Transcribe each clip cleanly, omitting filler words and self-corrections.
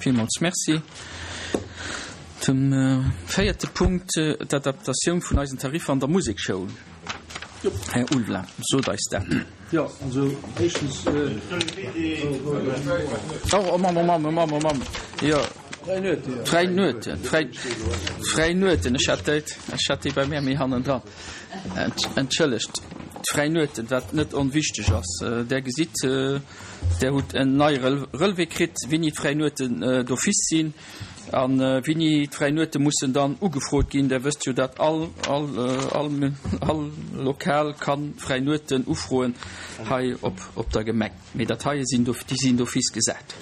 Villmools Merci. Zum véierte Punkt, d'Adaptatioun vun eisen Tariffer an der Musekschoul. Här Ulveling, sot eis dat. Jo, also éischtens. Oh, oh Mann, oh Mann, oh Mann, oh Mann. Jo. D'fräi Nueten, d'fräi Nueten, ech hat déi, ech hat déi bei mär méi hannendran. Entschëllegt, d'fräi Nueten, wat net onwichteg ass. Där gesitt, Där hutt en neie Relevé kritt, wéini d'fräi Nueten d'office sinn a wéini d'fräi Nuete mussen dann ugefrot ginn. Där wësst jo, dat all, all, all, all Lokal ka fräi Nueten ufroen hei op, op der Gemeng. Mee dat heie sinn, déi sinn d'office gesat.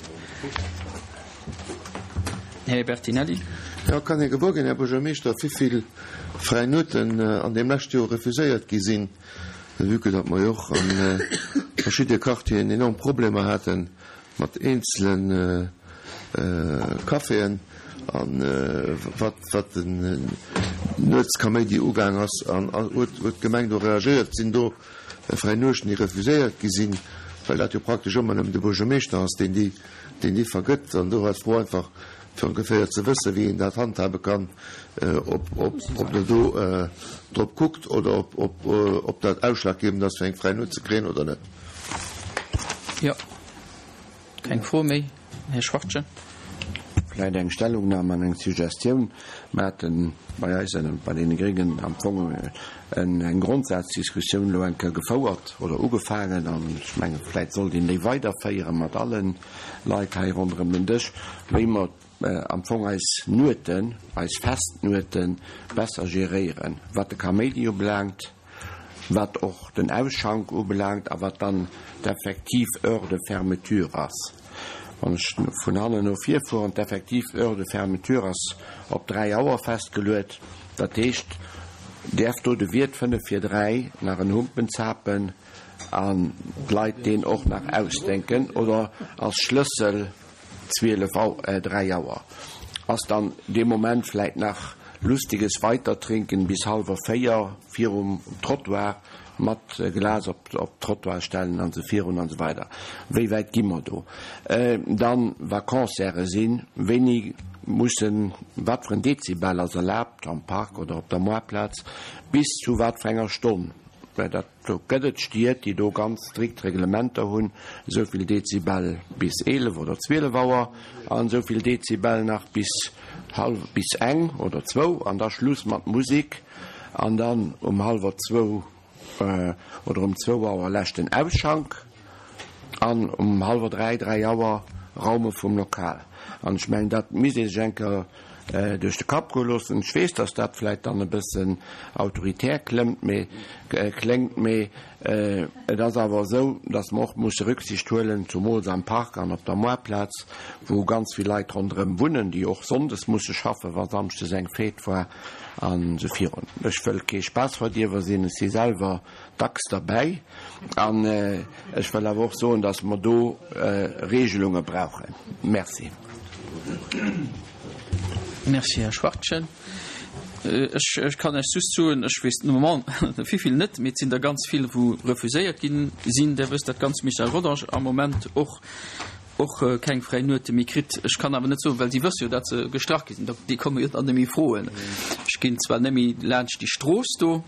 Här Bertinelli. Jo, kann ee gewuer ginn, Här Buergermeeschter, wéivill fräi Nueten an deem leschte Joer refuséiert gi sinn? Vue que datt mer jo och a verschidde Quartieren enorm Problemer hate mat eenzele Caféen a wat den Nuetskaméidi ugaang ass, an huet d'Gemeng do reagéiert? Sinn do fräi Nuechten, déi refuséiert gi sinn, well dat jo praktesch ëmmer nëmmen de Buergermeeschter ass, deen déi vergëtt? An do war d'Fro einfach, fir ongeféier ze wëssen, wéi een dat handhabe kann, ob der do drop kuckt oder ob dat ausschlaggebend ass, fir eng fräi Nuet ze kréien oder net. Jo, keng Fro méi. Här Schwachtgen. Vläicht eng Stellungnahme an eng Suggestioun. Mer hate bei eis, bei deene Gréngen, am Fong eng Grondsazdiskussioun elo eng Kéier gefouert oder ugefaangen an ech menge vläicht sollt een déi weiderféiere mat alle Leit hei ronderëm den Dësch, wéi mer am Fong eis Nueten, eis Festnuete besser geréieren, wat de Kaméidi ubelaangt, wat och den Ausschank ubelaangt a wat dann d'effektiv Heure de fermeture ass. Wann ech vun hannen no vir fueren, d'effektiv Heure de fermeture ass op 3 Auer festgeluet. Dat heescht, däerf do de Wiert 5 vir 3 nach en Humpen zapen an d'Leit deen och nach ausdenken oder ass Schlëssel 12 Auer, 3 Auer ass dann dee Moment vläit nach lustiges Weitertrinken bis hallwer 4 virum Trottoir mat Glas op d'Trottoir stellen an esou virun an esou weider. Wéi wäit gi mer do? Dann wa Concerte sinn, wéini mussen, wat fir en Dezibel ass erlaabt am Park oder op der Moartplaz, bis zu wat fir enger Stonn? Well dat, do gëtt et Stied, déi do ganz strikt Reglementer hunn, esou vill Dezibel bis 11 oder 12 Auer an esou vill Dezibel nach bis hallw, bis eng oder zwou an da Schluss mat Musik an dann um hallwer zwou oder um zwou Auer leschten Ausschank an um hallwer dräi, dräi Auer Raume vum Lokal. An ech mengen, dat misst ee sech eng Kéier duerch de Kapp goe loossen. Ech weess, datt dat vläicht dann e bëssen autoritär klëmmt, mee, kléngt, mee et ass awer esou, datt mer och musse Rücksicht huelen, zumools am Park an op der Moartplaz, wou ganz vill Leit ronderëm wunnen, déi och sonndes musse schaffen, wa samschdes eng Fête war an esou virun. Ech wëll kee Spaassverdierwer sinn, ech si selwer dacks derbäi an ech wëll awer och soen, datt mer do Regelunge brauchen. Merci. Merci, Här Schwachtgen. Ech kann Iech just soen, ech weess de Moment wéivill net, mee et sinn der ganz vill, wou refuséiert ginn sinn. Där wësst dat ganz Michel Rodange am Moment och och keng fräi Nuete méi kritt. Ech kann awer net soen, well si wësse jo, datt se gestrach gi sinn, déi komme jo dann net méi froen. Ech ginn zwar net méi laanscht déi Strooss do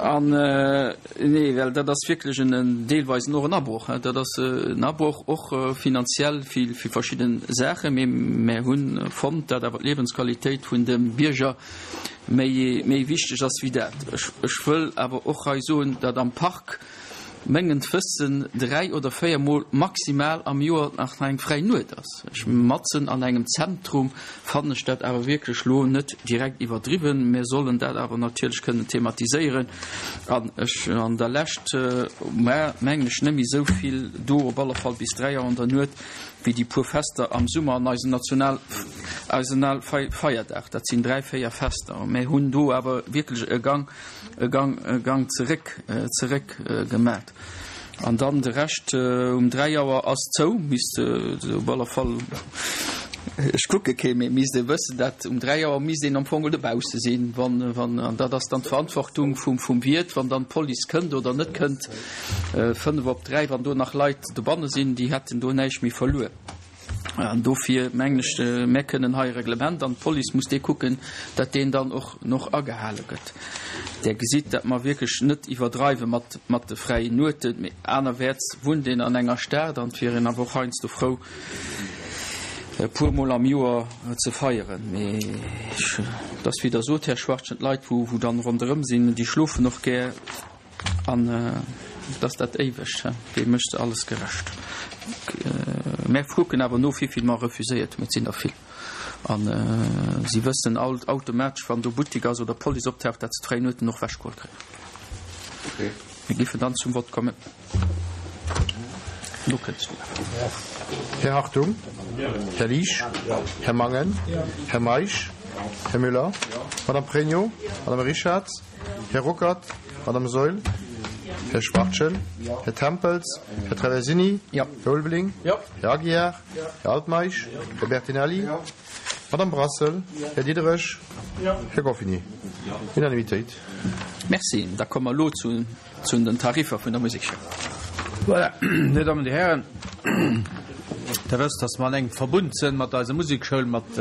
an, nee, well dat ass wierklech en deelweisen och en Abroch. Dat ass en Abroch och finanziell fir verschidde Saachen, mee mär hu fonnt, datt awer d'Liewensqualitéit vun de Bierger méi méi wichteg ass wéi dat. Ech wëll awer och hei soen, datt am Park, mengen d'Wëssen 3 oder 4 mol maximal am Joer nach eng fräi Nuet ass. Ech matzen an engem Zentrum fannen ech dat awer wierklech lo net direkt iwwerdriwwen. Mir sollen dat awer natierlech kënnen thematiséieren an ech an der Lescht war mengen ech net méi esou vill do, op alle Fall bis 3 Auer an der Nuet, wéi déi puer Fester am Summer an eisen National eisen Feierdag. Dat sinn 3, 4 Fester. Mir hunn do awer wierklech e Gang e Gang, e Gang zeréck, zeréck gemat. An dann de Rescht um 3 Auer ass zou, misst op alle Fall, ech kucke kee méi, misst ee wëssen, dat um 3 Auer misst een am Fong dobausse sinn, wann, wann, an dat ass dann d'Verantwortung vum, vum Wiert, wann dann d'Police kënnt oder net kënnt, 5 op 3, wann do nach Leit dobanne sinn, déi hätten do näischt méi verluer. An dofir mengen ech, mär kënnen hei e Reglement, an d'Police muss dee kucken, datt deen dann och noch agehale gëtt. Där gesitt, datt mer wierklech net iwwerdreiwe mat, mat de fräien Nueten, mee anerwäerts wunnt een an enger Stad an et wier een awer och heiansdo frou, e puer Mol am Joer ze feieren. Mee ech, et ass wéi Der sot, Här Schwachtgen, d'Leit, wou, wou dann ronderëm sinn, déi schlofen och gär. An et ass dat Éiwegt, dee mécht alles gerecht. Mär kucken awer no, wéivill mer refuséiert hunn. Et sinn der vill. A si wëssen all automatesch, wann do Buttek ass oder Police optaucht, datt se d'fräi Nueten och ewechgeholl kréien. Mir géifen dann zum Vott kommen. Do kënns du. Här Hartung, Här Liesch, Här Mangen, Här Meisch, Här Müller, Madame Pregno, Madame Richarz, Här Ruckert, Madame Saeul, Här Schwachtgen, Här Tempels, Här Traversini, Här Ulveling, Här Aguiar, Här Altmeisch, Här Bertinelli, Madame Brassel, Här Diderich, Här Goffini. Unanimitéit. Merci. Da komme mer elo zu Zu den Tariffer vun der Musekschoul. Voilà, Dir Dammen, Dir Hären, Der wësst, dass mer an engem Verbund sënn mat eiser Musekschoul, mat,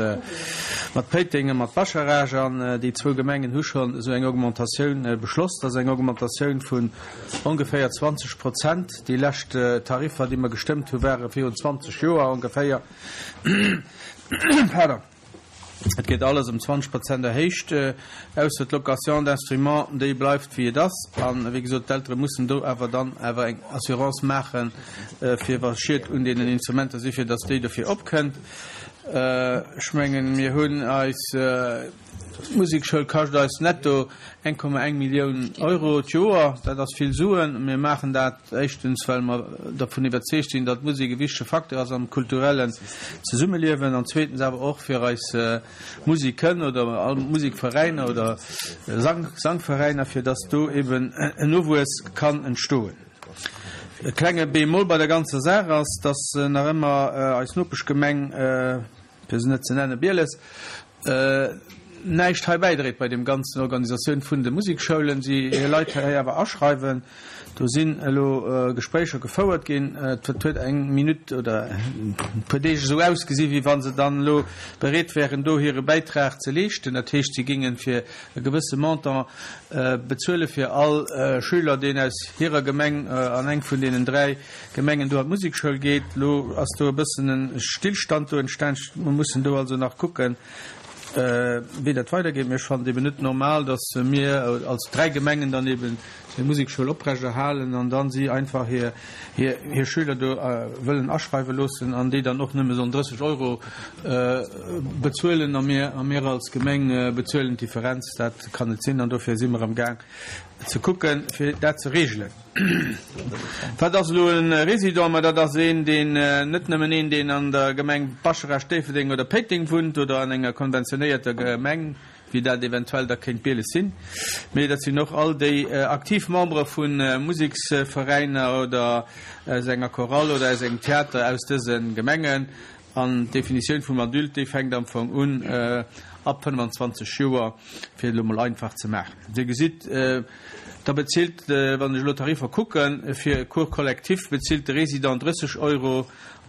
mat Péiteng a mat Bascharage. An déi zwou Gemengen hu schonn esou eng Augmentatioun beschloss. Dat ass eng Augmentatioun vun ongeféier 20 Prozent. Déi lescht Tariffer, déi mer gestëmmt hu ware virun 20 Joer ongeféier. Pardon. Et gëtt alles ëm 20 Prozent erhéicht, ausser d'Location d'instruments, déi bleift wéi et ass. An, wéi gesot, d'Eltere mussen do awer dann awer eng Assurance maachen, fir wa Schied un deenen Instrumenter si fir datt déi dofir opkënnt. Ech mengen, mir hunn eis D'Musekschoul kascht eis netto 1,1 Millioun Euro d'Joer. Dat ass vill Suen. Mir maachen dat éischtens, well mer dervun iwwerzeegt sinn, datt d'Musek e wichtege Facteur ass am kulturellen Zesummeliewen an zweetens awer och fir eis Musiken oder all Musikveräiner oder Sangveräiner, fir datt do eben en Nowuess kann entstoen. E klenge Bémol bei der ganzer Saach ass, datt nach ëmmer eis Nopeschgemeng, fir se net ze nennen, Bieles, näischt hei bäidréit bei deem ganzen Organisatioun vun de Musikschoulen, si hir Leit hei awer aschreiwen. Do sinn elo Gespréicher gefouert ginn. Et huet eng Minutt oder e puer Deeg esou ausgesi wéi wa se dann elo bereet wären, do hire Bäitrag ze leeschten. Dat heescht, si géinge fir e gewësse Montant bezuele fir all Schüler, deen aus hirer Gemeng an eng vun deenen 3 Gemengen do an d'Musekschoul geet. Elo ass do e bëssen e Stillstand do entstan. Mer mussen do also nach kucken, wéi dat weidergeet. Mee ech fannen et eben net normal, datt mir als 3 Gemengen dann eben déi Musekschoul oprechterhalen an dann si einfach hir hir Schüler do wëllen aschreiwe loossen an déi dann och nëmme sollen 30 Euro bezuelen a mir a mir als Gemeng bezuelen d'Differenz. Dat kann net sinn an dofir si mer am Gaang ze kucken, fir dat ze regelen. Wat ass elo e Résident? Ma dat ass een, deen, net nëmmen een, deen an der Gemeng Bascharage, Déifferdeng oder Péiteng wunnt oder an enger konventionéierter Gemeng, wéi dat eventuell da kéint Bieles sinn, mee dat sinn och all déi aktiv Membere vu Museksveräiner oder aus enger Chorale oder aus engem Theater aus dëse Gemengen. An d'Definitioun vum Adulte, déi fänkt am Fong un ab 25 Joer, fir et elo mol einfach ze maachen. Dir gesitt, da bezilt, wann ech elo d'Tariffer kucken, fir e Cours collectif bezilt de Résident 30 Euro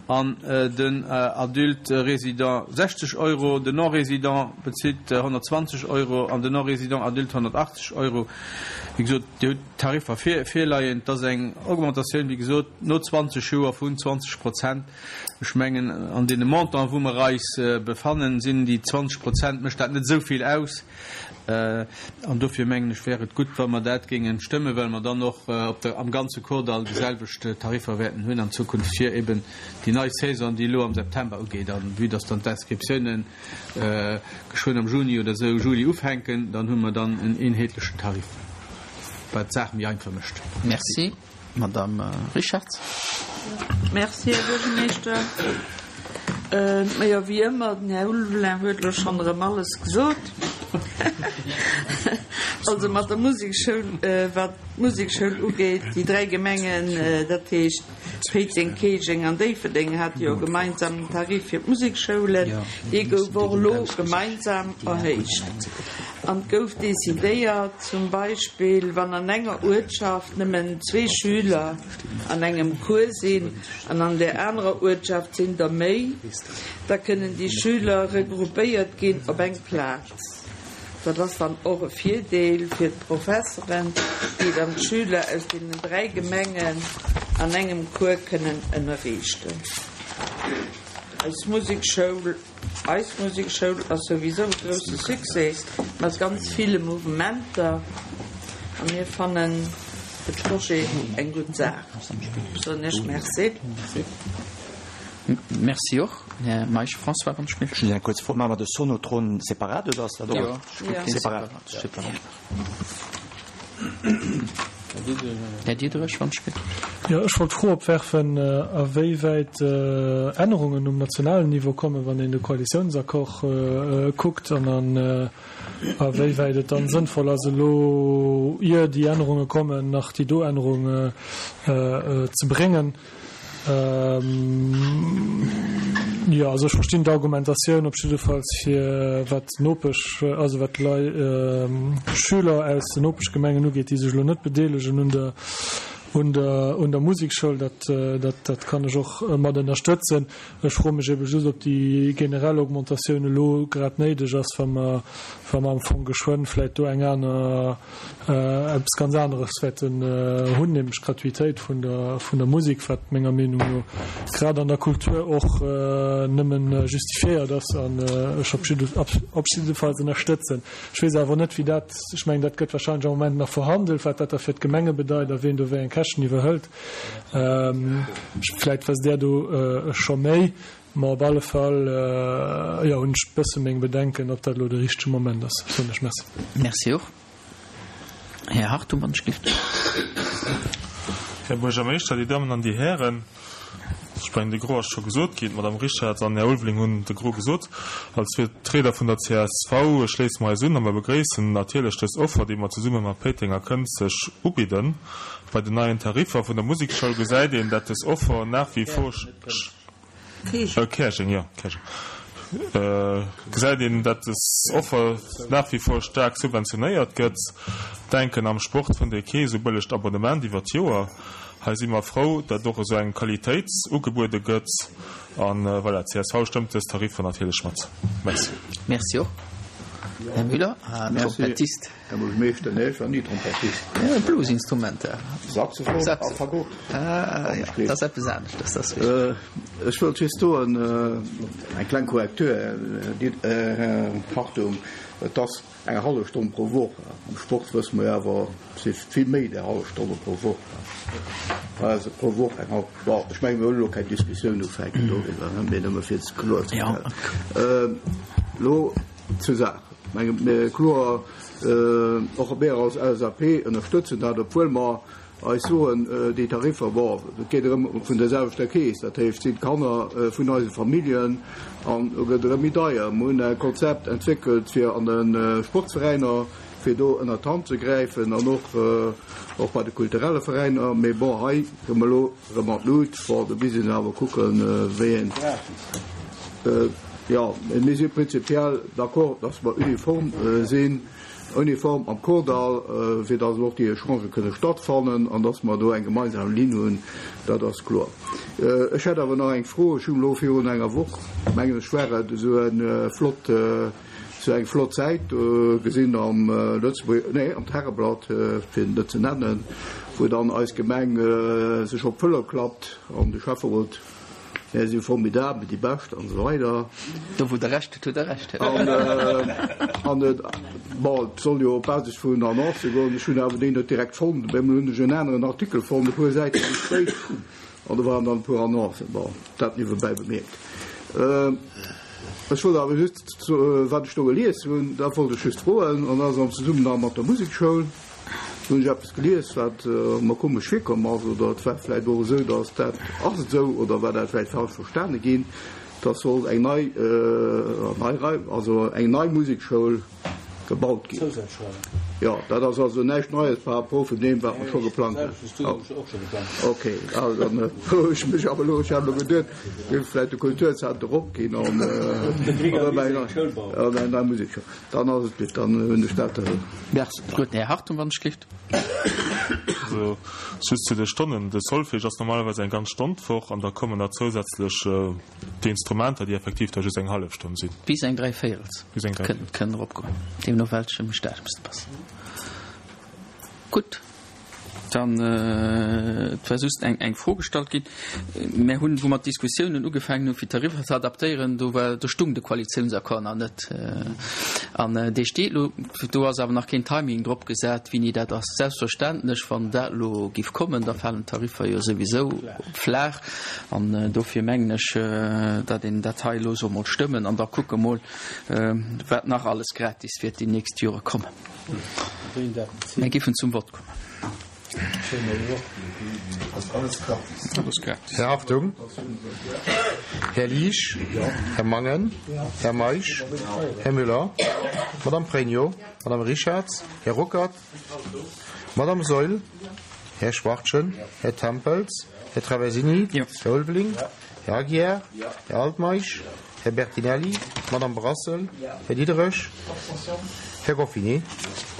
an den Adulte résident 60 Euro, den Non-résident bezilt 120 Euro an den Non-résident adulte 180 Euro. Wéi gesot, Dir hutt d'Tariffer virleien. Et ass eng Augmentatioun, wéi gesot, no 20 Joer vun 20 Prozent. Ech mengen, an deene Montanten, wou mer eis befannen, sinn déi 20 Prozent, mécht dat net esou vill aus. An dofir mengen ech, wär et gutt, wa mer dat géinge stëmmen, well mer dann och op der, am ganze Kordall déi selwecht Tariffer wäerten hunn an Zukunft fir eben déi nei Saison, déi elo am September ugeet. A vue dass dann d'Inscriptiounen geschwënn am Juni oder esou, Juli ufänken, dann hu mer dann en eenheetlechen Tarif, wat d'Saach méi einfach mécht. Merci. Madame Richartz. Merci, Här Buergermeeschter. Majo, wéi ëmmer, den Här Ulveling huet elo schonn erëm alles gesot. Also mat der Musekschoul, wat d'Musekschoul ugeet, déi 3 Gemengen, dat heescht Péiteng, Käerjeng an Déifferdeng, hate jo e gemeinsamen Tarif fir d'Museksschoulen. Dee gouf och elo gemeinsam erhéicht. An et gouf decidéiert, zum Beispill, wann an enger Uertschaft nëmmen zwee Schüler an engem Cours sinn an an där anerer Uertschaft sinn der méi, da kënnen déi Schüler regroupéiert ginn op eng Plaz. Dat ass dann och e Virdeel fir d'Professeren, déi dann d'Schüler aus deenen 3 Gemengen an engem Cours kënnen ënnerriichten. Eis Musekschoul Eis Musekschoul ass souwisou e grousse Succès mat ganz ville Mouvementer a mir fannen de Projet eng gutt Saach. Soen Iech Merci. Merci och, Här Meisch. François, wann ech méi. Just eng kuerz Fro, Maache mer de Sonotron separat oder ass dat och separat? Här Diederich, wann ech méi. Jo, ech wollt d'Fro opwerfen, a wéi wäit Ännerungen um nationalen Niveau kommen, wann een de Koalitiounsaccord kuckt, an a wéi wäit et dann sënnvoll ass, elo, ier déi Ännerunge kommen, nach déi do Ännerung ze bréngen. Jo, also ech verstinn d'Argumentatioun op jiddefalls fir wat d'Nopesch, also wat d'Lei, Schüler aus den Nopeschgemengen ugeet, déi sech elo net bedeelegen un der, un der, un der Musekschoul, dat, dat, dat kann ech och mat ënnerstëtzen. Ech froe mech ebe just, ob déi generell Augmentatioun elo grad néideg ass, wa mer, wa mer am Fong geschwënn vläicht do eng aner, eppes ganz aneres wäerten hunn, nämlech d'Gratuitéit vun der, vun der Musek, wat menger Meenung no grad an der Kultur och nëmme justifiéiert ass an ech op jidde, op jiddefalls ënnerstëtzen. Ech weess awer net, wéi dat, ech mengen, dat gëtt wahrscheinlech am Moment nach verhandelt, wat dat da fir d'Gemenge bedeit a wien do wéi eng Käschten iwwerhëlt. Vläicht wësst Där do scho méi. Ma op alle Fall, jo, hunn ech bësse meng Bedenken, ob dat elo de richtege Moment ass, soen ech. Merci. Merci och. Här Hartung, wann ech gift. Här Buergermeeschter, Dir Dammen an Dir Hären, ech mengen, de Gros ass scho gesot ginn. D'Madame Richartz an den Här Ulveling hunn de Gros gesot. Als Vertrieder vun der csv schléisse mer eis un a mer begréissen natierlech dës Offer, déi mer zesumme mat Péiteng a Kënzeg ubidden. Bei den neien Tariffer vun der Musekschoul gesäit een, dat dës Offer nach wie vor. Käerjeng, jo, Käerjeng. Gesäit een, dat des Offer nach wie vor staark subventionéiert gëtt. Denken, am Sport fënnt ee kee sou bëllegt Abonnement iwwer d'Joer. Hei si mer frou, dat och esou eng Qualitéit ugebuede gëtt. An voilà, csv stëmmt dës Tariffer natierlech mat. Merci. Merci och, Här Müller. Trompettist. Här Buergermeeschter, nee, ech war ni Trompettist. Ja, Bluesinstrumenter. Saxophon a Fagott. Ah, ja, dat ass eppes aneschtes, dat ass richteg. Ech wëllt just soen, eng kleng Korrektur, Här Hartung, et ass eng hallef Stonn pro Woch. Am Sport wësse mer jo awer, et si vill méi där hallef Stonne pro Woch. Also pro Woch eng hallef, bon, ech menge mir wëllen elo keng Diskussioun ufänken doriwwer, mee nëmme fir et kloerzestellen. Elo zur Saach. Menge mir kloer, och mir als LSAP ënnerstëtzen dat, obwuel mer eis soen, déi Tariffer, bon, et geet erëm vun der selwechter Keess, dat heescht, et sinn d'Kanner vun eise Familljen an do gëtt erëm méi deier. Mer hunn e Konzept entwéckelt fir an de Sportsveräiner, fir do ënnert d'Hand ze gräifen an och och bei de kulturelle Veräiner. Mee bon, hei komme mer elo erëm an d'Lut. Bon, do misst een awer kucken, wéi een. Jo, mir si prinzipiell d'accord, dass mer uniform sinn, uniform am Kordall, fir dass och déi Echangë kënne stattfannen an dass mer do eng gemeinsam Linn hunn, dat ass kloer. Ech hätt awer nach eng Fro. Ech hunn elo virun enger Woch, mengen ech war et, esou e flott, esou eng flott Säit do gesinn am Lëtzebuerger, nee, am Tageblatt, fir et net ze nennen, wou dann eis Gemeng sech op d'Fëller klappt an de Schäfferot, Mär si formidabel, déi Bescht an esou weider. Do wou Der Recht hutt, hutt Der Recht. An et, bon, et soll jo op Basis vun Annoncë goen. Ech hunn awer déi net direkt fonnt. Op eemol hunn ech en aneren Artikel fonnt, e puer Säite méi spéit, an do waren dann e puer Annoncen. Bon, dat niewebäi bemierkt. Ech wollt awer just, wat ech do gelies hunn, dat wollt ech just froen, an dat ass am Zesummenhang mat der Musekschoul. Do hunn ech eppes gelies, wat mer komesch virkomm ass, oder et war vläicht och esou, datt dat, ass et esou, oder war dat vläicht falsch verstane ginn, datt sollt eng nei, nei Rei, also eng nei Musekschoul. Gebaut ginn. Jo, dat ass also näischt Neies par rapport vun deem, wat mer scho geplangt hunn. Ok, also dann froe ech mech awer elo, ech hat elo geduet, géif vläicht de Kulturzenter opginn an eng nei Musekschoul. Dann ass et gutt, dann hunn ech dat. Merci. Gutt, Här Hartung, wann ech gelift. Also just zu de Stonnen, De Solfège ass normalerweis eng ganz Stonn d'Woch an da kommen nach zousätzlech Déi Instrumenter, déi effektiv da just eng hallef Stonn sinn. Bis eng Dräivéierels kënnen eropgoen, deemno welchem Stadium se passen. Gutt, dann, et war just eng eng Fro gestallt ginn. Mär hunn, wou mer d'Diskussiounen ugefaangen hunn, fir d'Tariffer ze adaptéieren, do war, do stung de Koalitiounsaccord nach net. An dee steet elo. Do ass awer nach keen Timing drop gesat, wéini dat ass. Selbstverständlech, wann dat elo giff kommen, da falen d'Tariffer jo souwisou flaach. An dofir mengen ech, datt een dat hei elo soll mol stëmmen an da kucke mol, wat nach alles gratis wäert déi nächst Jore kommen. Mir giffen zum Vott kommen. Här Hartung, Här Liesch, Här Mangen, Här Meisch, Här Müller, Madame Pregno, Madame Richarz, Här Ruckert, Madame Saeul, Här Schwachtgen, Här Tempels, Här Traversini, Här Ulveling, Här Aguiar, Här Altmeisch, Här Bertinelli, Madame Brassel, Här Diderich, Här Goffinet,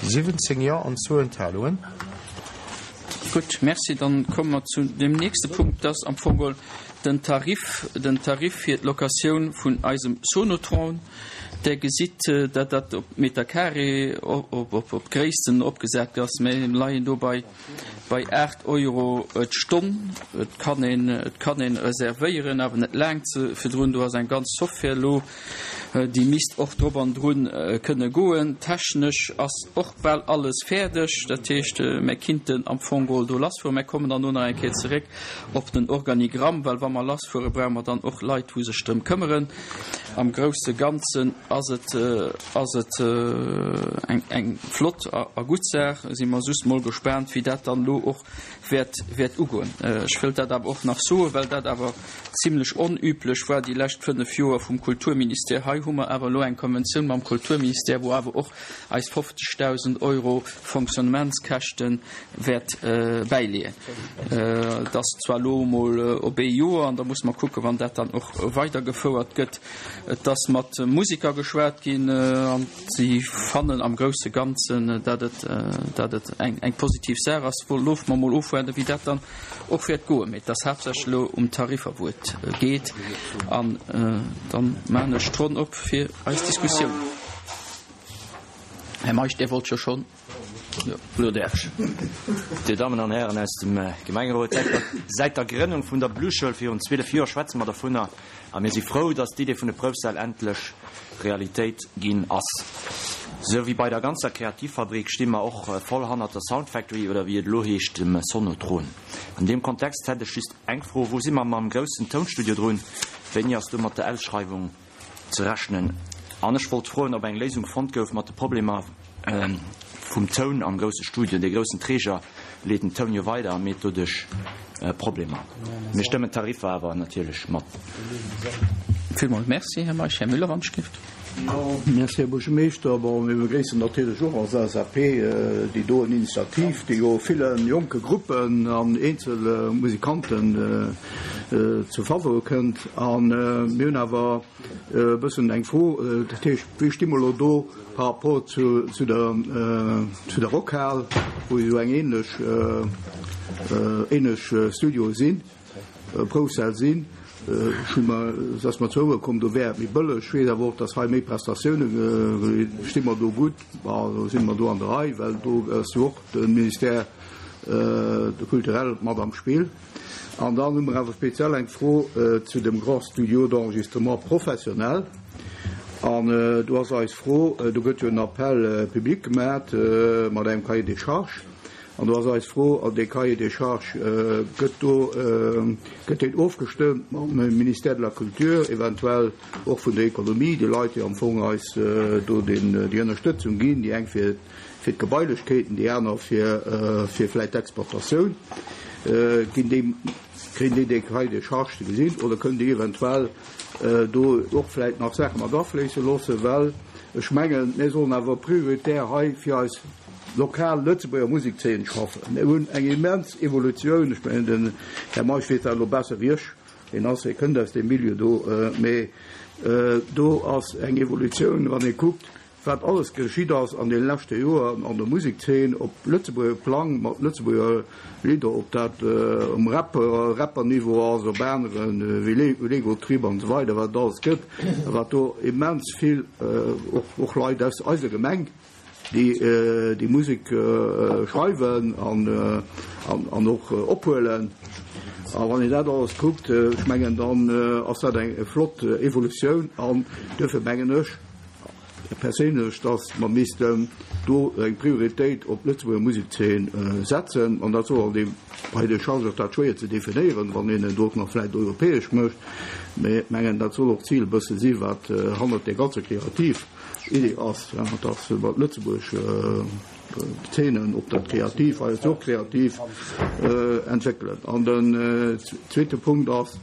17 Jo an zwou Enthalungen. Gutt, merci. Dann komme mer zu deem nächste Punkt. Dat ass am Fong geholl den Tarif, den Tarif fir d'Locatioun vun eisem Sonotron. Der gesitt, datt dat op Meter carré, op Gréissten opgesat ass. Mir leien do bei bei 8 Euro d'Stonn. Et kann een, et kann een reservéieren, awer net laang ze virdrun. Do ass eng ganz Software elo, déi misst och drop an drun kënne goen. Technesch ass och bal alles fäerdeg. Dat heescht, mir kinnten am Fong geholl do lassfueren. Mir kommen dann elo nach eng Kéier zeréck op den Organigramm, well wa mer lassfuere brauche mer dann och Leit, wou sech drëm këmmeren. Am grousse Ganzen ass et ass et eng eng flott a a gutt Saach. Si mer just mol gespaant, wéi dat dann elo och wäert wäert ugoen. Ech wëllt dat awer och nach soen, well dat awer zimlech onüblech war déi lescht 5 Joer vum Kulturministère. Hei hu mer awer elo eng Konventioun mam Kulturministère, wou awer och eis 50.000 Euro Fonctionnementskäschte wäert bäileeën. Et ass zwar elo emol op ee Joer, an da musse mer kucken, wann dat dann och weidergefouert gëtt. Et ass mat Musiker geschwat ginn, an si fannen am grousse Ganzen, datt et, datt et eng, eng positiv Saach ass. Loosse mer emol ofwaarden, wéi dat dann och wäert goen. Mee et ass haaptsächlech elo um Tariffer, wou et geet. An dann maachen ech d'Ronn op fir eis Diskussioun. Här Meisch, Dir wollt jo schonn. Elo däerf ech. Dir Dammen an Hären aus dem Gemengerot, säit der Grënnung vun der Blueschoul virun 12 Joer schwätze mer dovunner a mir si frou, dass d'Idee vun de Proufsäll endlech Realitéit ginn ass. Sou wéi bei der ganzer Kreativfabrik sti mer och voll hannert der Sound Factory oder wéi et elo heescht, dem Sonotron. An deem Kontext hätt ech just eng Fro, Wou si mer mam groussen Tounstudio drun? Wéini ass do mat der Ausschreiwung ze rechnen. An ech wollt froen, ob eng Léisung fonnt gouf mat de Problemer vum Toun am grousse Studio. Dee groussen Träger leet den Toun jo weider a meet doduerch Problemer. Mir stëmmen d'Tariffer awer natierlech mat. Villmools Merci, Här Meisch. Här Müller, wann ech dierft. Merci, Här Buergermeeschter. Bon, mir begréissen natierlech och als LSAP déi doen Initiativ, déi jo ville jonke Gruppen an eenzel Musikanten zu Faveur kënnt. A mir hunn awer e bëssen eng Fro, dat heescht, wéi sti mer elo do par rapport zu der zu der Rockhal, wou jo eng ähnlech ähnlech Studioe sinn, Proufsäll sinn. Ech hu mer, et ass mer zu Ouere komm, do wär et méi bëlleg. Ech weess awer och, datt hei méi Prestatioune, sti mer do gutt, bon, do si mer do an der Rei, well do ass jo och de Ministère culturel mat am Spill. An dann hu mer awer speziell eng Fro zu dem Grand Studio d'enregistrement professionnel. An do ass eis Fro, do gëtt jo en Appel public gemat mat engem Cahier des charges. An do ass eis Fro, dee Cahier des charges, gëtt do, gëtt deen ofgestëmmt mam Ministère de la Culture, eventuell och vun der Économie, déi Leit, déi am Fong eis do déi Ënnerstëtzung ginn, déi eng fir, fir d'Gebailechkeeten, déi aner fir fir vläicht d'Exportatioun. Ginn déi, kréien déi dee Cahier de charges ze gesinn oder kënnen déi eventuell do och vläicht nach Saache mat afléisse loossen? Well ech mengen, mir sollen awer prioritär hei fir eis lokal Lëtzebuerger Musekszeen schaffen. Mir hunn eng immens Evolutioun, ech mengen, den Här Meisch weess dat elo besser wéi ech, hien ass, hie kënnt aus deem Milieu do, mee do ass eng Evolutioun, wann ee kuckt, Wat alles geschitt ass an deene leschte Joer an der Musekzeen op Lëtzebuerger Plang mat Lëtzebuerger Lidder, ob dat um Rap, Rapper-Niveau ass, op aneren wéi Lego Trip an esou weider, wat et alles gëtt, a wat do immens vill och Leit aus eiser Gemeng, déi déi Musek schreiwen an och ophuelen. A wann een dat alles kuckt, ech mengen, dann ass dat eng flott Evolutioun an duerfir mengen ech, perséinlech, datt mer missten do eng Prioritéit op d'Lëtzebuerger Musekszeen setzen. An dat soll an deem Cahier de charges ass dat schwéier ze definéieren, wann een et och nach vläicht europäesch mécht. Mä ech mengen, dat soll och d'Zil e bësse si wat hannert där ganzer kreativ Idee ass, datt mer d'Lëtzebuerg Zeenen, ob dat kreativ, hei ass jo och kreativ, entwéckelen. An den zweete Punkt ass,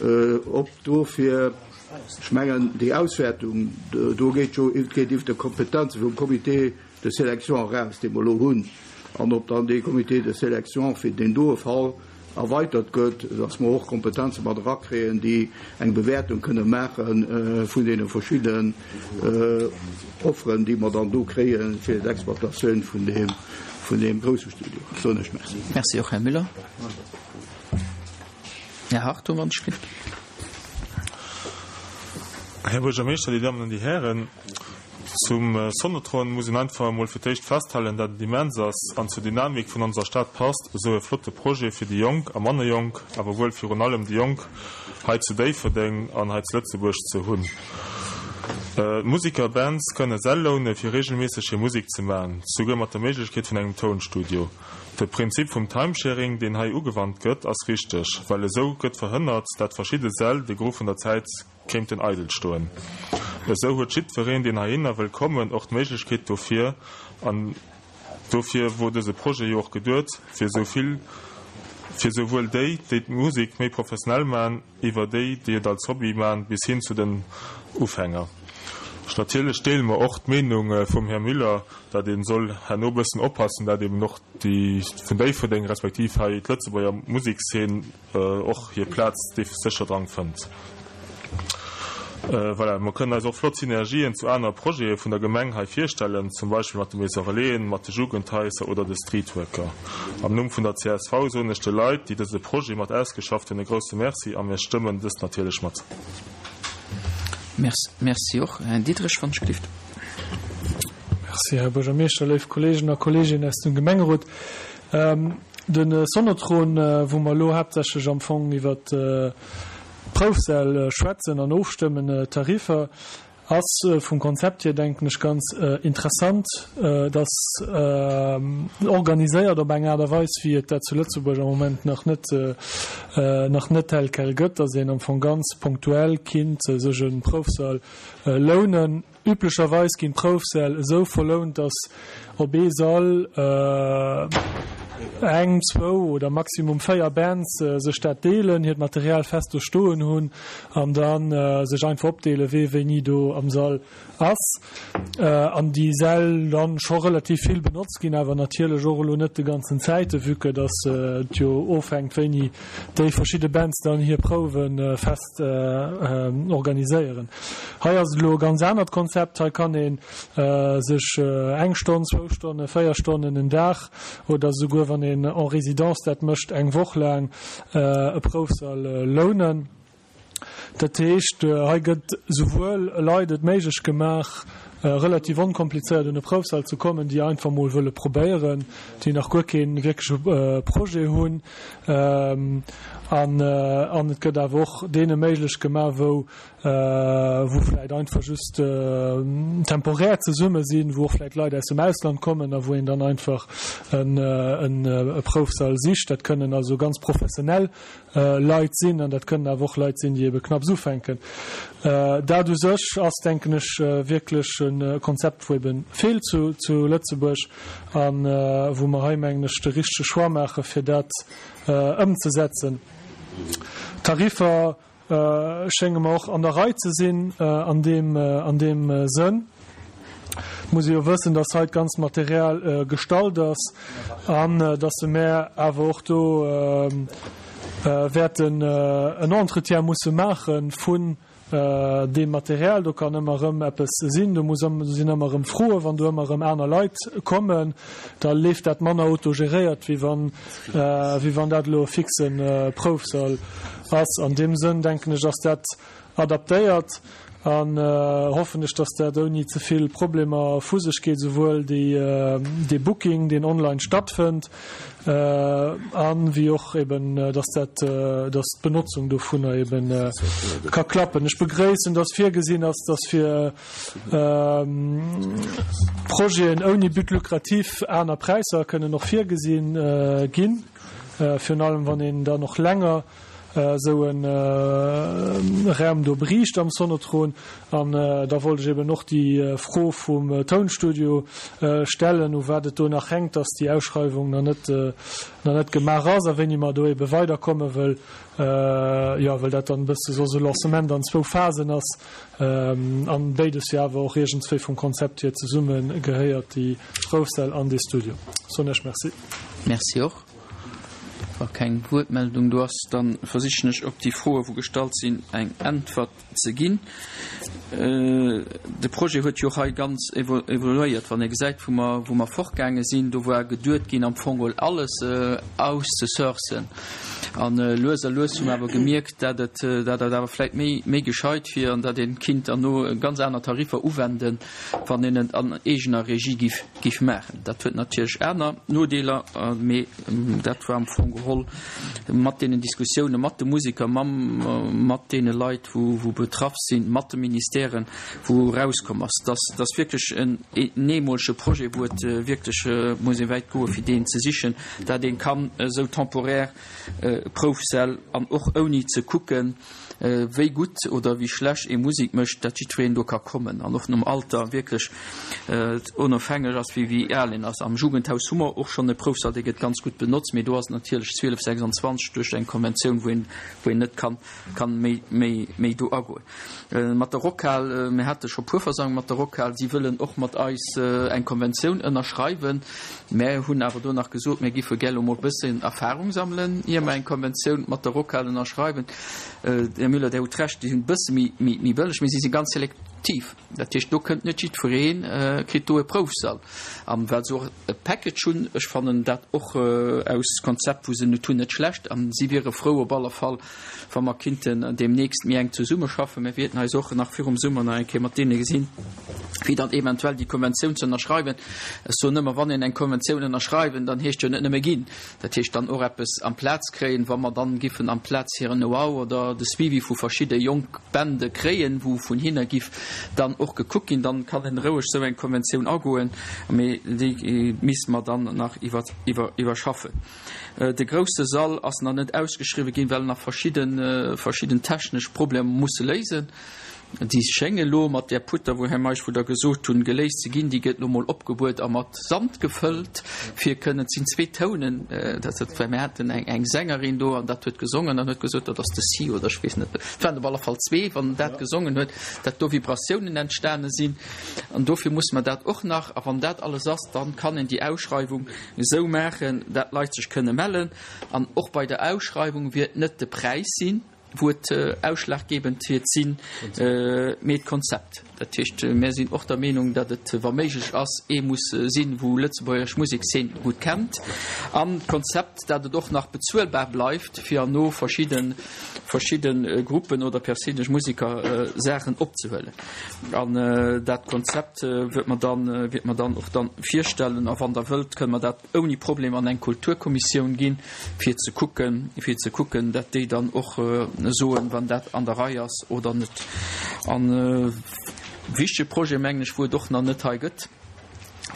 ob dofir, Ech mengen, déi Auswäertung do geet jo geet iwwer de Kompetenze vum Comité de sélection eraus, dee mer elo hunn, an ob dann dee Comité de sélection fir deen doe Fall erweitert gëtt, dass mer och Kompetenze mat erakréien, déi eng Bewäertung kënne maache vun deene verschiddenen Offeren, déi mer dann do kréie fir d'Exploitatioun vun deem, vun deem grousse Studio. Soen ech Merci. Merci och, Här Müller. Här Hartung, wann ech ginn. Här Buergermeeschter, Dir Dammen an Dir Hären, zum Sonotron muss een einfach emol fir d'éischt festhalen, dat et immens ass an zur Dynamik vun onser Stad passt, esou e flotte Projet fir déi Jonk a manner Jonk, awer wuel virun allem déi Jonk hei zu Déifferdeng an hei zu Lëtzebuerg ze hunn. D'Musiker, Bands kënne Säll loune fir regelméisseg hir Musek ze man, souguer mat der Méiglechkeet vun engem Tounstudio. De Prinzip vum Timesharing, deen hei ugewannt gëtt, ass richteg, well esou gëtt verhënnert, dat verschidde Säll de Gros vun der Zäit kéinten eidel stoen. Esou huet jiddwereen, deen heihinner wëll kommen, och d'Méiglechkeet dofir. An dofir wor dëse Projet jo och geduet, fir esou vill, fir esouwuel déi, déi d'Musek méi professionell man, iwwer déi, déi et als Hobby man, bis hin zu den Ufänger. Natierlech deele mer och d'Meenung vum Här Müller, dat ee soll herno bëssen oppassen, dat eben och déi vun Déifferdeng respektiv hei d'Lëtzebuerger Musekszeen och hir Plaz sécher dran fënnt. Voilà, mer kënnen eis och flott Synergien zu anere Projete vun der Gemeng hei virstellen, zum Beispill mat de Maison Relaisen, mat de Jugendhaiser oder de Streetworker. Am Numm vun der csv soen ech de Leit, déi dëse Projet mat ausgeschafft hunn, e grousse Merci a mir stëmmen dëst natierlech mat. Merci och. Här Diderich, wann ech gelift. Merci, Här Buergermeeschter, léif Kolleegen a Kolleeginnen aus dem Gemengerot. De Sonotron, wou mer elo haaptsächlech am Fong iwwert d'Proufsäll schwätzen an ofstëmmen, d'Tariffer, ass vum Konzept hier, denken ech, ganz interessant. Et ass organiséiert op eng Aart a Weis, wéi et dat zu Lëtzebuerg am Moment nach net, nach net tel quel gëtt, dass een am Fong ganz ponktuell kinnt sech e Proufsall lounen. Üblecherweis ginn d'Proufsäll esou verlount, dass op ee Sall eng, zwou oder maximum 4 Bands sech dat deelen, hiert Material fest do stoen hunn an da sech einfach opdeelen, wee wéini do am Sall ass. An déi Säll dann scho relativ vill benotzt ginn, awer natierlech och elo net de ganzen Zäite, vue que dass et jo ofhänkt, wéini déi verschidde Bands dann hir Prouwe fest organiséieren. Hei ass et elo e ganz anert Konzept. Hei kann ee sech eng Stonn, zwou Stonnen, 4 Stonnen en Dag oder esouguer, wann een en résidence dat mécht, eng Woch laang e Proufsall lounen. Dat heescht, hei gëtt souwuel Leit et méiglech gemaach, relativ onkomplizéiert un e Proufsall ze kommen, déi einfach mol wëlle probéieren, déi nach guer kee wierkleche Projet hunn, an et gëtt awer och deene méiglech gemaach, wou. wou vläit einfach just temporär zesumme sinn, wou och vläit Leit aus dem Ausland kommen a wou een dann einfach e Proufsall sicht. Dat kënnen also ganz professionell Leit sinn an dat kënnen awer och Leit sinn, déi ebe knapps ufänken. Dat u sech ass, denken ech, wierklech e Konzept, wou ebe feelt zu Lëtzebuerg a wou mer hei, mengen ech, de richtege Choix maache fir dat ëmzesetzen. D'Tariffer schénge mer och an der Rei ze sinn an deem an deem Sënn. Et muss ee jo wëssen, dass hei d'ganzt Material gestallt ass an dass se mär awer och do wäerten en Entretien musse maache vun deem Material. Do kann ëmmer erëm eppes sinn, do muss do sinn ëmmer erëm Froen, wann do ëmmer erëm aner Leit kommen, da leeft dat manner autogeréiert, wéi wann wéi wann dat elo e fixe Proufsall ass. An deem Sënn, denken ech, ass dat adaptéiert an hoffen ech, dass dat ouni ze vill Problemer vu sech geet, esouwuel dee Booking, deen online stattfënnt, an wéi och eben, dass dat, dass d'Benotzung dovunner eben ka klappen. Ech begréissen, dass virgesinn ass, dass fir Projeten ouni But lucratif aner Präisser kënnen och virgesi ginn, virun allem wann een dann och länger esou e Raum do beriicht am Sonotron. An da wollt ech eben och déi Fro vum Tounstudio stellen, u wat et do nach hänkt, dass déi Ausschreiwung nach net, nach net gemaach ass a wéini mer do ebe weiderkommen, wëll, jo, wëll dat dann e bësse soss e Lancement an zwou Phasen ass an béides jo awer och iergendswéi vum Konzept hier zesumme gehéiert, déi Proufsäll an dee Studio. Soen ech Merci. Merci och. Wa keng Wuertmeldung do ass, da versichen ech op déi Froe wou gestallt sinn eng Äntwert ze ginn. De Projet huet jo och hei ganz evoluéiert. Wann ee gesäit wou mer wou mer fortgaange sinn, do war geduet ginn am Fong geholl alles auszesourcen. An lues a lues hu mer awer gemierkt, dat et dat et awer vläit méi méi gescheit wier an dat ee kinnt herno ganz aner Tariffer uwenden, wann een et an eegener Regie giff giff maachen. Dat huet natierlech aner Nodeeler, mee dat war am Fong geholl mat deenen Diskussioune mat de Museker, mam mat deene Leit, wou wou betraff sinn, mat de Ministèren, wou erauskomm ass, dass dass wierklech en eemolege Projet, wou et wierklech muss ee wäit goe fir deen ze sichen, dat ee kann esou temporär Proufsäll an och ouni ze kucken, wéi gutt oder wéi schlecht ee Musek mécht, dat jiddwereen do ka kommen an och nom Alter wierklech onofhängeg ass, wéi wéi al een ass. Am Jugendhaus hu mer och schonn e Proufsall, dee gëtt ganz gutt benotzt, mee do ass et natierlech 12, 26 duerch eng Konventioun, wou een wou een net kann kann méi méi méi do agoen. Mat der Rockhal, mir hate scho puer Versammlunge mat der Rockhal, si wëllen och mat eis eng Konventioun ënnerschreiwen. Mär hunn awer do nach gesot, mir giffe gär elo mol e bëssen Erfahrung sammelen, ier mer eng Konventioun mat der Rockhal ënnerschreiwen. Här Müller, Dir hutt Recht, déi sinn e bësse méi, méi bëlleg, mee si si ganz selektiv. Dat heescht, do kënnt net jiddweree kritt do e Proufsall. An well se och e Package hunn, ech fannen dat och aus Konzept, wou se et hunn, net schlecht. A si wiere frou op alle Fall, wa mer kinnten deemnächst méi enk zesummeschaffen. Mir wierten eis och nach virum Summer nach eng Kéier mat deene gesinn, fir dann eventuell déi Konventioun ze ënnerschreiwen. Ech soen ëmmer, wann een eng Konventioun ënnerschreiwen, dann heescht jo net nëmme ginn, dat heescht dann och eppes amplaz kréien. Wa mer dann giffen amplaz hiren Know-how oder de Suivi vu verschidde jonk Bände kréien, wou vun hinne giff dann och gekuckt ginn, dann kann een roueg esou eng Konventioun agoen, mee déi misste mer dann nach iwwerschaffen. De grousse Sall ass nach net ausgeschriwwe ginn, well nach verschidde verschidden technesch Problemer musse léisen. Déi schénge lo mat där Putter, wou Här Meisch, wou Der gesot hunn, geléist ze ginn. Déi gëtt lo mol opgebuert a mat Sand gefëllt, fir kënnen, et sinn zwee Tounen, dat dat well mir haten eng eng Sängerin do an dat huet gesongen an huet gesot, dat ass de Si oder ech weess net, et waren op alle Fall zwee, wann dat gesongen huet, dat do Vibratiounen entstane sinn. An dofir musse mer dat och nach, a wann dat alles ass, dann kann een déi Ausschreiwung esou maachen, dat d'Leit sech kënne mellen. An och bei der Ausschreiwung wiert net de Präis sinn, wou et ausschlaggebend wiert sinn, mee d'Konzept. Dat heescht, mär sinn och der Meenung, datt et, wa méiglech ass, ee muss sinn, wou lëtzebuergesch Musekszeen gutt kennt. An d'Konzept, dat et och nach bezuelbar bleift, fir herno verschidde. verschidde Gruppen oder perséinlech Museker Saachen opzehuelen. An dat Konzept wäert mer dann, wäert mer dann och dann virstellen. A wann Der wëllt, kënne mer dat ouni Problem an eng Kulturkommissioun ginn, fir ze kucken, fir ze kucken, dat déi dann och soen, wann dat an der Rei ass oder net. An e wichtege Projet, mengen ech, wou et och nach net hei gëtt,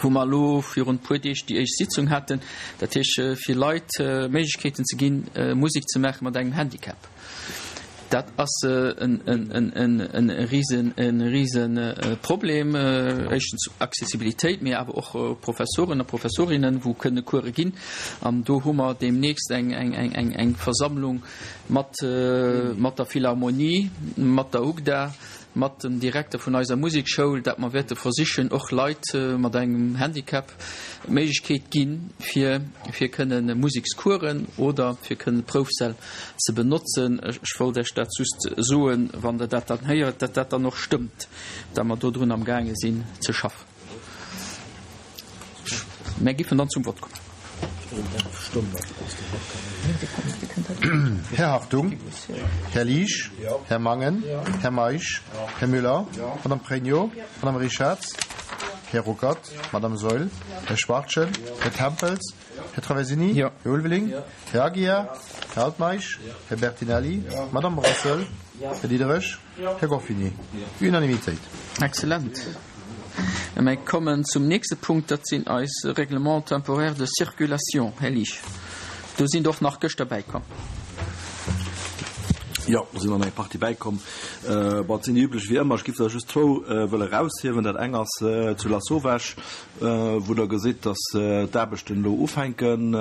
wou mer elo virun e puer Deeg déi éischt Sitzung haten, dat heescht fir Leit Méiglechkeeten ze ginn, Musek ze maache mat engem Handicap. Dat ass e Riseproblem, éischtens Accessibilitéit, mee awer och Professoren a Professorinnen, wou kënne Course ginn. An do hu mer deemnächst eng Versammlung mat der Philharmonie, mat der UGDA, mat dem Direkter vun eiser Musekschoul, dat mer wäerte versichen, och Leit mat engem Handicap d'Méiglechkeet ginn, fir fir kënne Musekscoursen oder fir kënne Proufsäll ze benotzen. Ech wollt Iech dat just soen, wann Der dat dann héiert, dat dat dann och stëmmt, dat mer dodrun amgaange sinn ze schaffen. Mär giffen dann zum Vott kommen. Här Hartung, Här Liesch, Här Mangen, Här Meisch, Här Müller, Madame Pregno, Madame Richarz, Här Ruckert, Madame Saeul, Här Schwachtgen, Här Tempels, Här Traversini, Här Ulveling, Här Aguiar, Här Altmeisch, Här Bertinelli, Madame Brassel, Här Diderich, Här Gorfini. Unanimitéit. Excellent. Mir kommen zum nächste Punkt, dat sinn eis Règlements temporaires de circulation. Här Liesch, do sinn der och nach gëschter bäikomm. Jo, do sinn der nach eng Partie bäikomm. Bon, et sinn déi üblech wéi ëmmer. Ech géif der just zwou wëlle eraushiewen. Dat eng ass zu Lasauvage, wou Der gesitt, dass d'Aarbechten elo ufänken,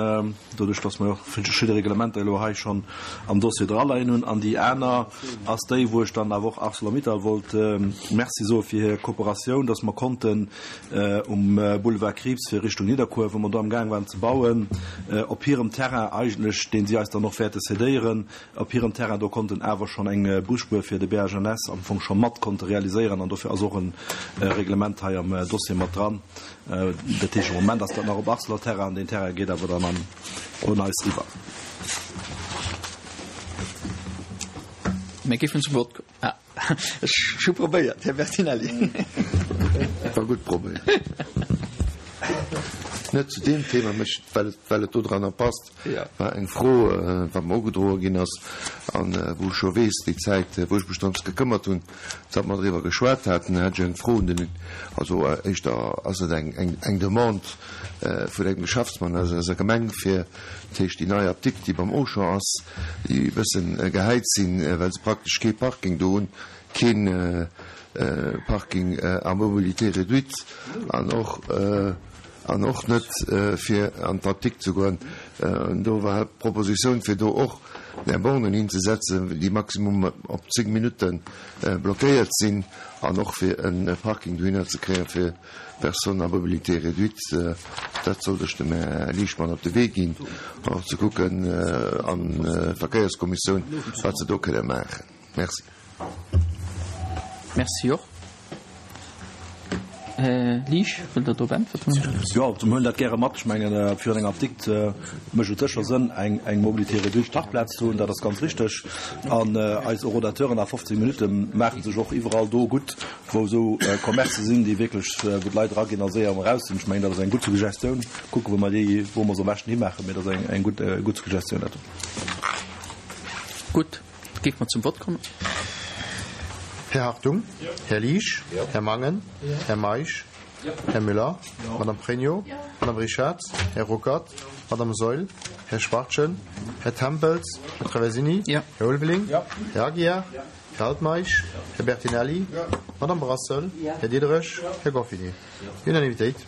doduerch dass mer jo och verschidde Reglementer elo hei schonn am Dossier draleien hunn. An déi aner ass déi, wou ech dann awer och Arcelor-Mittal wollt Merci soe fir hir Kooperatioun, dass mer konnten um Boulevard Krieps fir Richtung Nidderkuer, wou mer do amgaang waren ze bauen, op hirem Terrain eigentlech, dee si eis dann och wäerte cédéieren, op hirem Terrain do konnten awer schonn eng Busspuer fir de BHNS am Fong scho mat konnte realiséieren an dofir ass och e Reglement hei am Dossier mat dran. Dat heescht, am Moment ass dat nach op Arcelor Terrain an deen Terrain geet awer dann an un eis iwwer. Mir géifen zum Vott kommen. Ech hu probéiert, Här Bertinelli. War gutt probéiert. Net zu deem Thema, mä well well et dodranner passt, war eng Fro, wat mer ugedroe ginn ass an wou ech scho weess, déi Zäit, wou ech mech drëms gekëmmert hunn, datt mer driwwer geschwat haten, hat ech eng Fro un den, also éischter ass et eng eng Demande vun engem Geschäftsmann aus eiser Gemeng, fir, dat heescht déi nei Apdikt, déi beim Auchan ass, déi e bëssen gehäit sinn, well se praktesch kee Parking do hunn, kee Parking à mobilité réduite an och an och net fir an d'Apdikt ze goen. Do war d'Propositioun, fir do och där Bornen hinzesetzen, déi maximum op 10 Minutte blockéiert sinn an och fir e Parking dohinner ze kréien, fir Personnes à mobilité réduite, dat sollt ech dem Här Lichtmann op de Wee ginn, och ze kucken an Verkéierskommissioun, wat se do kënne maachen. Merci. Merci och. Här Liesch, wëllt Der drop äntwerten? Jo, mir huelen dat gäre mat. Ech mengen, virun enger Apdikt mécht et sécher Sënn, eng, eng Mobilité réduite Parkplaz ze hunn. Dat ass ganz richteg. An eis Horodateuren a 15 Minutte maache sech och iwwerall do gutt, wou esou Commercë sinn, déi wierklech, wou d'Leit eraginn a séier erëm eraus sinn. Ech mengen, dat ass eng gutt Suggestioun. Kucke wou mer déi, wou mer se am beschten himaachen, mee dat ass eng, eng gutt, gutt Suggestioun dat do. Gutt, géife mer zum Vott kommen. Här Hartung? Här Liesch? Här Mangen? Här Meisch? Här Müller? Madame Pregno? Madame Richarz? Här Ruckert? Madame Saeul? Här Schwachtgen? Här Tempels? Här Traversini? Här Ulveling? Här Aguiar? Här Altmeisch, Här Bertinelli, Madame Brassel, Här Diderich, Här Goffini. Unanimitéit.